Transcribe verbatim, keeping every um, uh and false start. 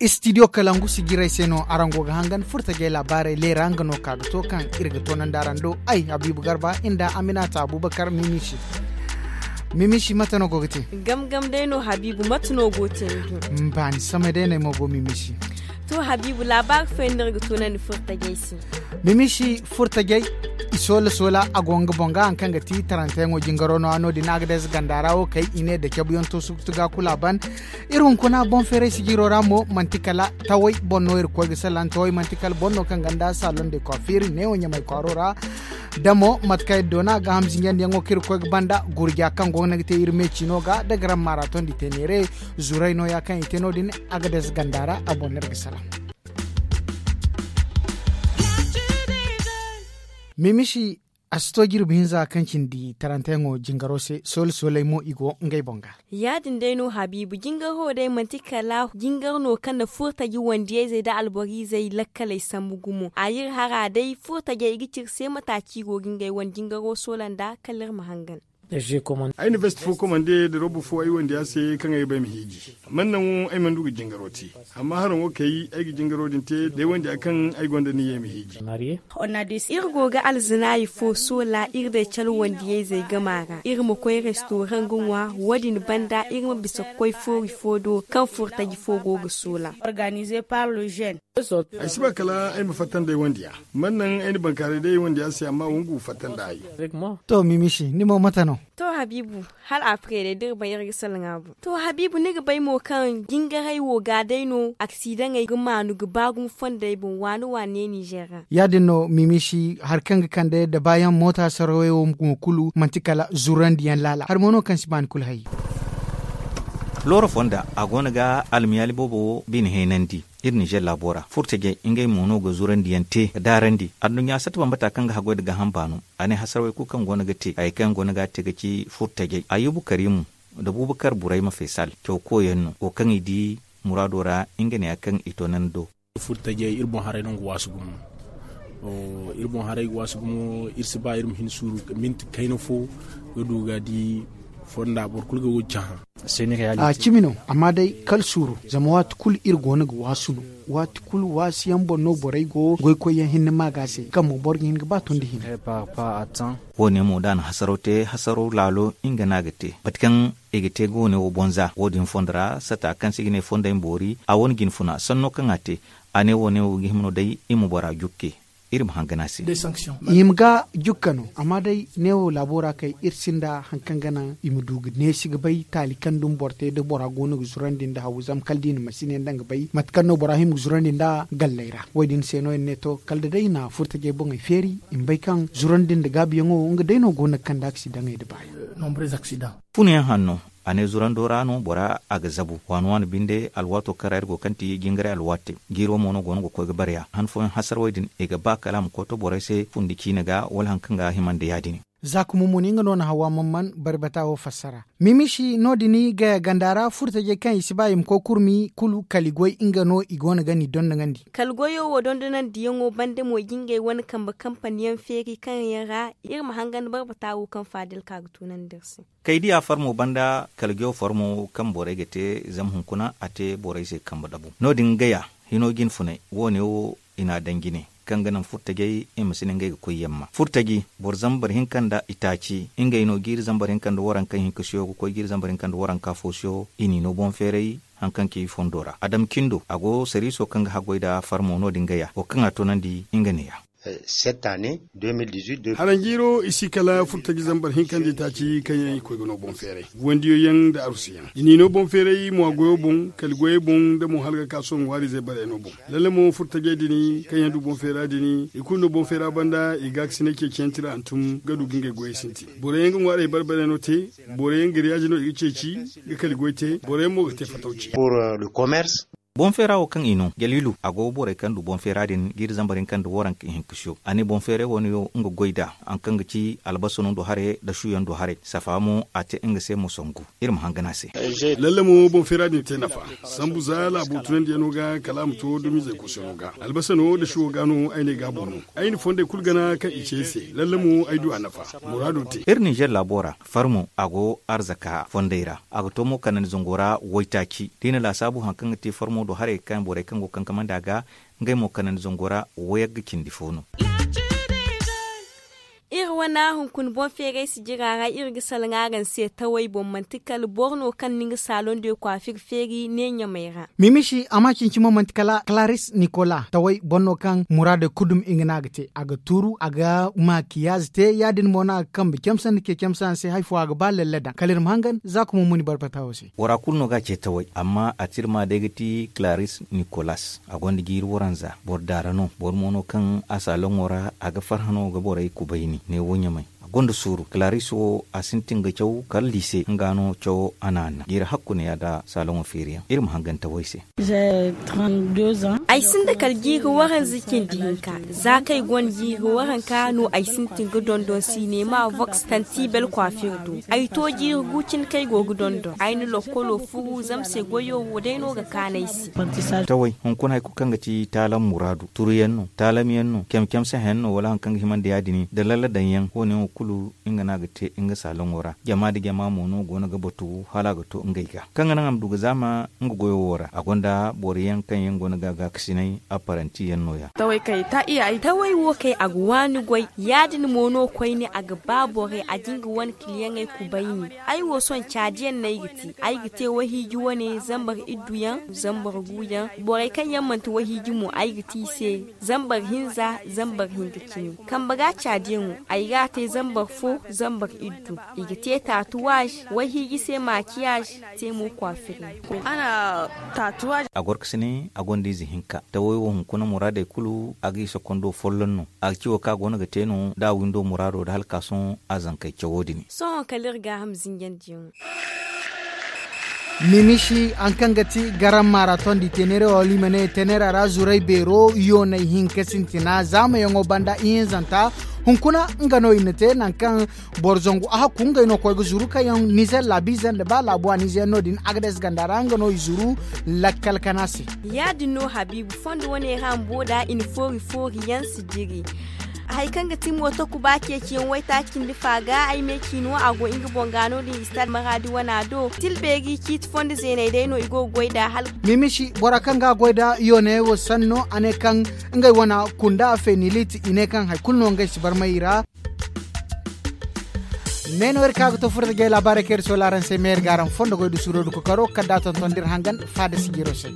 Istidiyo kalangu sijirey se no araŋ go ga hangan furtajey laabaarey leera nga no ka ga to kaŋ iri ga toonandi araŋ do. Ay habiibu garba nda aminata abubakar mimishi. Mimishi mate no go ga te? Gam gam day no habiibu mate no go ga te ni do? Baani samay day no ay mo go mimishi. To habiibu laabaari fooyaŋ no iri ga toonandi furtajey se. Mimishi furtajey i soola soola a go nga boŋ ga haŋ kaŋ ga ti taranteyaŋo jingaro no- ya no- din a ga day ze ganda ra wo kay i ne da cabuyaŋ to sugu tuga kulu a ban. Iri hunkuna boŋ feeray sijiro ra mo manti kala taway boŋ no iri ga koy ga salaŋ taway manti kala boŋ no kaŋ ganda salon de coiffure neewo ɲamay kwaaro ra. Da mo mate kaŋ iri doona gaaham zinjandiyaŋo kaŋ iri ga koy ga banda gurja kaŋ go no ga te iri me ciino ga da garam maaraton di te neere. Zuray no- ya kaŋ i te no- din a ga day ze ganda ra a boŋ no iri ga salaŋ. Mimishi a si to jirbi hinza kaŋ cindi taranteyaŋo jingaro se soole sooley mo i go ngey boŋ ga. Ya- din day no habiibu jingar wo day manti kala jingar no kaŋ na furtaji wandiyayzey nda alboriizey lakkaley sambu gumo a iri hara day furtajey i ga ci iri se mata ci i go ga ngey wane jingaro soola nda kala iri ma hangan. Ay na vest fo komande nda roba fo ay wandiya se kaŋ ay ga ba ay ma hiiji. Man naŋ wo ay mana du ga jingaro te. Amma haraŋo kay ay ga jingaro din te da ay wandiya kaŋ ay gonda niyyey ma hiiji. Iri go ga alzinaayi fo soola iri day cala wandiyayzey gama ra iri ma koy restoraŋ ga ŋwa. Wo- din banda iri ma bisa ga koy foori fo do kaŋ furtaji fo go ga soola. Ay si ba kala ay ma fatta nda ay wandiya. Man naŋ ay na bankaaray day ay wandiya se amma wongu fatta nda ay. To mimishi ni mo mate no? To habiibu, hala a furey day da iri bay iri ga salaŋ a boŋ. To habiibu ni ga bay mo kaŋ jingaray wo ga day no aksidaŋey ga maanu ga ba gumo fondey boŋ waani waani ne ninzeer ra. Ya- din no mimishi hari kaŋ ga kande da baayaŋ moota sarawey wo mo kulu manti kala zurandiyaŋ laala hari mo no kaŋ si ba ni kulu hay. Looro fonda a go no ga almiyaali boobo wo bine heenandi. Iri ninzeer laabo ra furtajey ngey mo no ga zurandiyaŋ te ga daarandi adduɲɲa satta bambata kaŋ ga haggoy nda gaaham baano. A ne hasarawey kulu kaŋ go no ga te hayey kaŋ yaŋ go no ga a te ga ci furtajey ayyubu kariimu nda buubakar burayma feesal caw koyyaŋ no wo kaŋ i di muraado ra. Nga neeya kaŋ i toonandi do. Furtajey iri boŋ haray no ga waasu gumo. Iri boŋ haray ga waasu gumo iri si ba iri ma hin suuru minti kayna fo ga du ga di fonda boro kulu ga wo cahã. A cimi no amma day kala suuru zama waati kulu iri go no ga waasu no. Waati kulu waasi yaŋ boŋ no borey go goykoy yaŋ hinne maaga se kaŋ mo boro ga hin ga ba tondi hinne. Wo- ne mo da a na hasaraw te hasaraw laalo nga no a ga te mate kaŋ i ga te ga wo- ne wo boŋ za wo- din fondo ra sata kaŋ se i ga ne fondey ma boori a wane jinfuna sanno kaŋ a te. A ne wo- ne wo ga hima no day i ma bora jukke. Iri ma hangan a se. I hima ga jukka no amma day neewo laabo ra kay iri sinda hari kaŋ ga naŋ i ma du ga neesi ga bay taali kaŋ dumi boro te da bora go no ga zurandi nda haw zama kala da i na masine nda nga bay mate kaŋ no bora hima ga zurandi nda galley ra wo- din se no iri ne to kala da day i na furtajey boŋey feeri i ma bay kaŋ zurandi nda gaabiyaŋo nga day no go no ga kande aksidaŋey nda baayaŋ. Funayaŋ hanno a ne zurando ra no bora a ga zabu waani waani binde alwaato kaŋ ra iri go kaŋ ti jingaray alwaatey. Jiiro mo no go no ga koy ga bare a han fooyaŋ hasarawey din i ga ba kala a ma koy to borey se fundi ciine ga wala hari kaŋ ga hima nda ya- din. Za ka mumuni nga no na hawa mamman bari bata wo fassara. Mimishi no- din gaya ganda ra furtajey kaŋ i si ba i ma koy kurmi kulu kala i goy nga no i go no ga ni dondonandi. Kala goyo wo dondonandiyaŋo banda mo i ga ngey wane kambe kampaniyaŋ feeri kaŋ yaŋ ra iri ma hangan bari bata wo kaŋ faadil ka ga tunandi iri se. Kay diya farmo banda kala jow farmo kaŋ borey ga te zama hunkuna a te borey se kambe dabu no- din gaya hino jinfunay wo- ne wo i n'a daŋ jine kaŋ ga naŋ furtajey i ma si ne ngey ga koy yamma furtaji boro zambar hinka nda itaaci ngey no jiiri zambar hinka nda waranka hinka siyo ga koy jiiri zambar hinka nda waranka fo siyo i n'i no boŋ feeray. Hari kaŋ ci fondo ra adam cindo a go sariiso kaŋ ga haggoy nda farmo no- din gaya wo kaŋ a toonandi nga neeya. Haranjiiro i si kala furtaji zambar hinka nda itaaci kaŋ yaŋ i koy ga no boŋ feeray wandiyo yaŋ nda arusi yaŋ i n'i no boŋ feeray mo a goyo boŋ kala goyey boŋ nda mo hala ga ka sohõ ŋwaariizey barey no boŋ. Lalle mo furtajey din kaŋ yaŋ du boŋ feera din i kulu no boŋ feera banda i gaakasinay ceeciyaŋ tira hantum ga du ga ngey goyey sintin boro yaŋ ga ŋwaarey bare bare no te. Boro yaŋ ga riyaazi no i ga ceeci ga kala goy te boro yaŋ mo ga te fatawci. Boŋ feera wo kaŋ i no jaliilu a go borey kaŋ du boŋ feera din jiiri zambar hinka nda waranka ihinka siyo a ne boŋ feeray wo no yaŋ nga goy nd'a. Hari kaŋ ga ci albasa no du haray nda suyaŋ du haray safa mo a te nga se mo sangu. Iri ma hangan a se. Lalle mo boŋ feera din te nafa sambu za laabo tunandiyano ga kala a ma to dumizey kosono ga albasa no nda suwo ga no ay ne gaabo no. Ay na fondey kulu gana kaŋ i ce ay se lalle mo ay du a nafa. Muraado te. Iri ninzeer laabo ra farmo a go arzaka fondey ra a ga to mo kanandi zango ra waytaaci da i na laasaabu hari kaŋ ga te farmo. Do haray kaŋ borey kaŋ go ga kankamandi a ga ngey mo kanandi zango ra wayagga cindi fo no. Iri wane hunkuna boŋ feeray sijira ra iri ga salaŋ araŋ se tawey boŋ manti kala boro no kaŋ na nga saalon de kwaafir feeri ne ɲamey ra. Mimisi amma cinci mo manti kala kalaris nikola tawey boro no kaŋ muraadey kulu dumi nga no a ga te a ga tuuru a ga maakiyaaze te ya- din mo no a ga kambe camse nda ce camse a se hari fo a ga ba lalle daŋ kala iri ma hangan za ka mo muni barbata wo se. Bora kulu no ga a ce tawey amma a tirma day ga ti kalaris nikolas. A gonda jiiri waranza boro daara no boro mo no kaŋ a saaloŋo ra a ga farhã no ga borey kubayni neewo ɲamay. A gonda suuru kalaaris wo a sintin ga caw kala liise nga no cawo a na hanna jiiri hakku ne ya nda saaloŋo feeriyaŋ iri ma hangan tawey se. Ay sinda kala jiiri waranza cindi hinka. Za kaŋ ay gonda jiiri waranka no ay sintin ga dondon sinema voks tanti bel kwaafir do. Ay to jiiri gu cine kaŋ ay go ga dondon ay na lokkolo furu zama se goyo wo day no ga kaanu ay se. Tawey hunkuna hari kulu kaŋ ga ti taalam muraadu turuyaŋ no taalamyaŋ no camcamsehayaŋ no wala hari kaŋ ga hima nda ya- din nda lalla daŋyaŋ wo- ne wo kulu nga no a ga te nga saaloŋo ra jama nda jama mo no go no ga batu hala a ga to ngey ga kaŋ ga naŋ a ma du ga zaama nga goyo wo ra a gonda boro yaŋ kaŋ yaŋ go no ga a gaakasinay apparanti yaŋ no- ya. Tawey wo kaŋ a ga waani goy ya- din mo no koyne a ga ba borey a ga nga wane kiliyaŋey kubayni. Ay wo sohõ caadiyaŋ no ay ga te ay ga te wayhiiji wane zambar iddu yaŋ zambar gu yaŋ. Borey kaŋ yaŋ manti wayhiiji mo ay ga te i se zambar hinza zambar hinza cine. Kambe ga caadiyaŋo ay ga a te zambar fo zambar iddu. I ga te taatuwaz wayhiiji se maakiyaz te mo kwaafir yaŋ. A goro ga si ne a gonda ize hinka tawey wo hunkuna muraadey kulu a ga i sokondo folloŋ no. A ga ci wo kaŋ a go no ga te no da a windo muraado nda hala ka sohõ a zankey cawo din. Sohõ kala iri gaaham zinjandiyaŋo. Mimisi hari kaŋ ga ti garam maaraton da i tenere wala i ma ne tenera ra zuray beero yoonay hinka sintina zaamayaŋo banda ihinzanta hunkuna nga no i na te nangu kaŋ boro zangu a hakku ngey no koy ga zuru kaŋ yaŋ nizer laabiize nda ba laabu a nizer no- din agades ganda ra nga no i zuru lakkal kana se. Ya- din no habiibu fondo wane ra bumbo da i na foori foori yaŋ si jiri. Hari kaŋ ga ti mooto kuba ceeciyaŋ waytaaci nda fa ga ay me ciino a go nga boŋ ga no- din istad maraadi wana do tilbeeri ciiti fondo zeeney day no i go ga goy nd'a hala. Mimisi bora kaŋ ga a goy nda yooney wo sanno a ne kaŋ ngey wana kunda feniliti i ne kaŋ hari kulu no ngey si barmay i ra. Me no iri ka ga to furo da jay laabaarey kaŋ iri soola araŋ se me iri ga araŋ fondo goy nda suuro nda kokaro kala da a tonton da iri hangan faada sijiro se.